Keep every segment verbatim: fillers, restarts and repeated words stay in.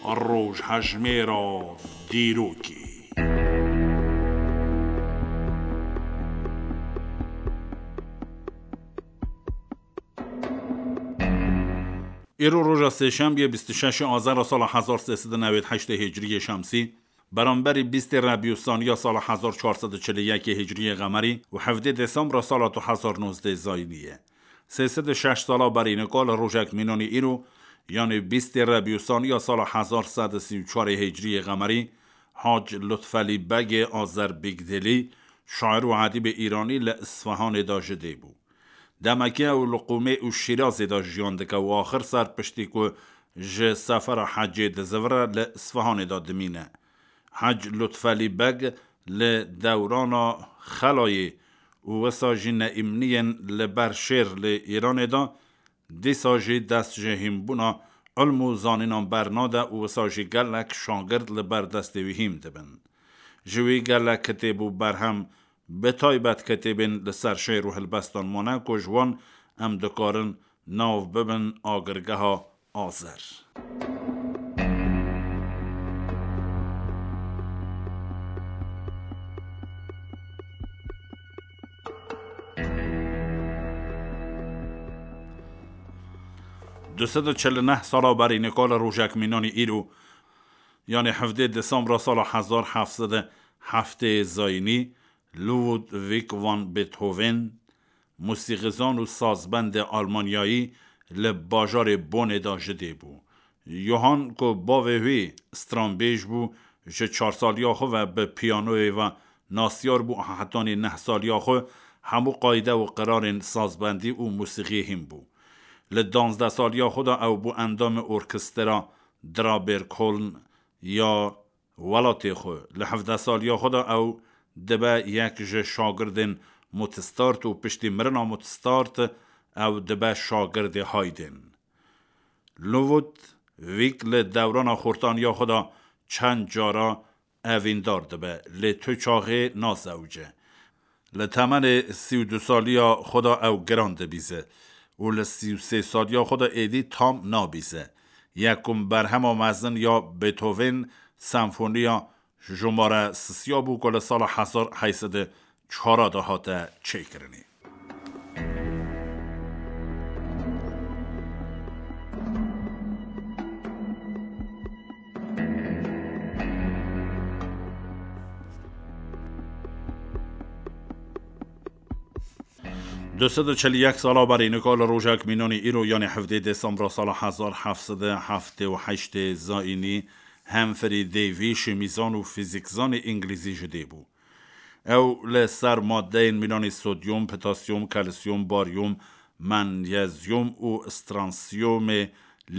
Rojhejmêra dîrokê. Îro roja sêşembiyê bîst û şeş azara sala hezar sê sed û newêd heştê hicriyê şemsî, beramberî bîstê rebî û saniya sala hezar çar sed û çil û yekê hicriyê qemerî û hevdê desembra sala du hezar nozdeh zayînî ye. Sê sed û şeş sala berî nika li rojek mînanî îro, yanî bîstê rebî û saniya sala hezar sed û sî û çarê hicriyê qemerî, Hac Lutfelî Begê Azerbîgdêlî, şair û edîbê îranî li Isfahanê de ji dê bû. Demekê ew li Qûmê û Şîrazê de jiyan dike û axir ser piştî ku ji sefera hecê dizivire li Isfahanê de dimîne. Hec Lutfelî Beg li dewrana Xelayê û wisa jî Neîmniyên li ber şêr li Îranê de, dîsa jî dest ji hînbûna ilm û zanînan bernade û wisa jî gelek şagird li ber destê wî hîn dibin. Ji wî gelek kitêb û berhem, bi taybet kitêbên li ser şêr û helbestan mane ku ji wan em dikarin nav bibin agirgeha Azer. Du sed û çil û neh sala berî nika li rojek mînanî îro, yanî hevdê desembra sala hezar heft sed û heftê zayînî, Ludwig van Beethoven, musîxîzan û sazbendê Almanyayî, li bajarê Bonê de ji dê bû. Johann ku bavê wî stranbêj bû, ji çar saliya xwe ve bi piyanoyê ve nasyar bû, hetanî neh saliya xwe hemû qayde û qirarên sazbendî û musîxiyê hîn bû. Li danzdeh saliya xwe de ew bû endamê orkestra Draberkoln ya welatê xwe. Li hevdeh saliya xwe de ew dibe yek ji şagirdên Mozart û piştî mirina Mozart ew dibe şagirdê Haydn. Ludwig li dewrana xortaniya xwe de çend cara evîndar dibe, lê tu çaxê nazewce. Li temenê sî û du saliya xwe de ew giran dibîze û li sî û sê saliya xwe de êdî tam nabîze. Yekum berhema mezin ya Beethoven, senfoniya jumare sisiya bû ku li sala hezar heyt sed û çar de hate çêkirinê. Du sed û çil û yek sala berî nika li rojek mînanî îro, yanî hevdê desembra sala hezar heft sed û heftê û heştê zayînî, Humphrey Davy, şîmîzan û fîzîkzanê îngilîzî ji dê bû. Ew li ser madeyên mînanî sodyum, potasyum, kalsiyum, baryum, manyezyum û stransiyumê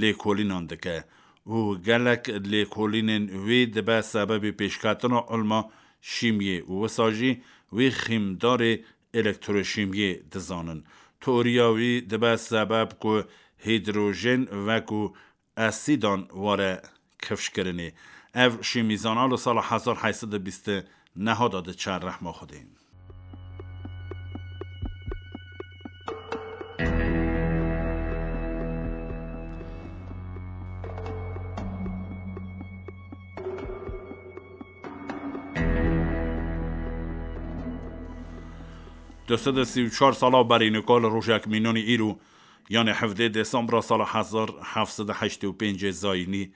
lêkolînan dike û gelek lêkolînên wî dibe sebebê pêşketina ilma şîmiyê û wisa jî wî xîmdarê elektroşîmiyê dizanin. Teoriya wî dibe sebeb ku hîdrojên wekû esîdan were kifşkirinê. Ev şîmîzana li sala hezar heyt sed û bîst û neh de diçe rehma Xwedê. Du sed û sî û çar sala berî nika li rojek mînanî îro, yanê hevdê desembra sala hezar heft sed û heştê û pêncê zayînî,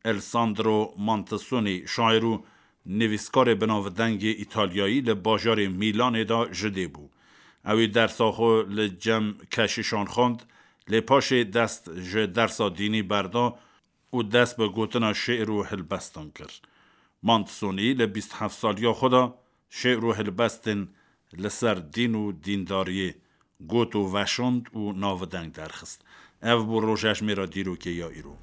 Alessandro Mantasoni, şair û nivîskarê binavdengê Îtalyayî, li bajarê Mîlanê de ji dê bû. Ew ê dersa xwe li cem keşîşan xwend, lê paşê dest ji dersa dînî berda û dest bi gotina şê'r û hilbestan kir. Mantasoni li bîst heft saliya xwe de şê'r û hilbestên li ser dîn û dîndariyê got û veşand û navdeng derxist. Ev bû rojejmêra dîrokê ya îro.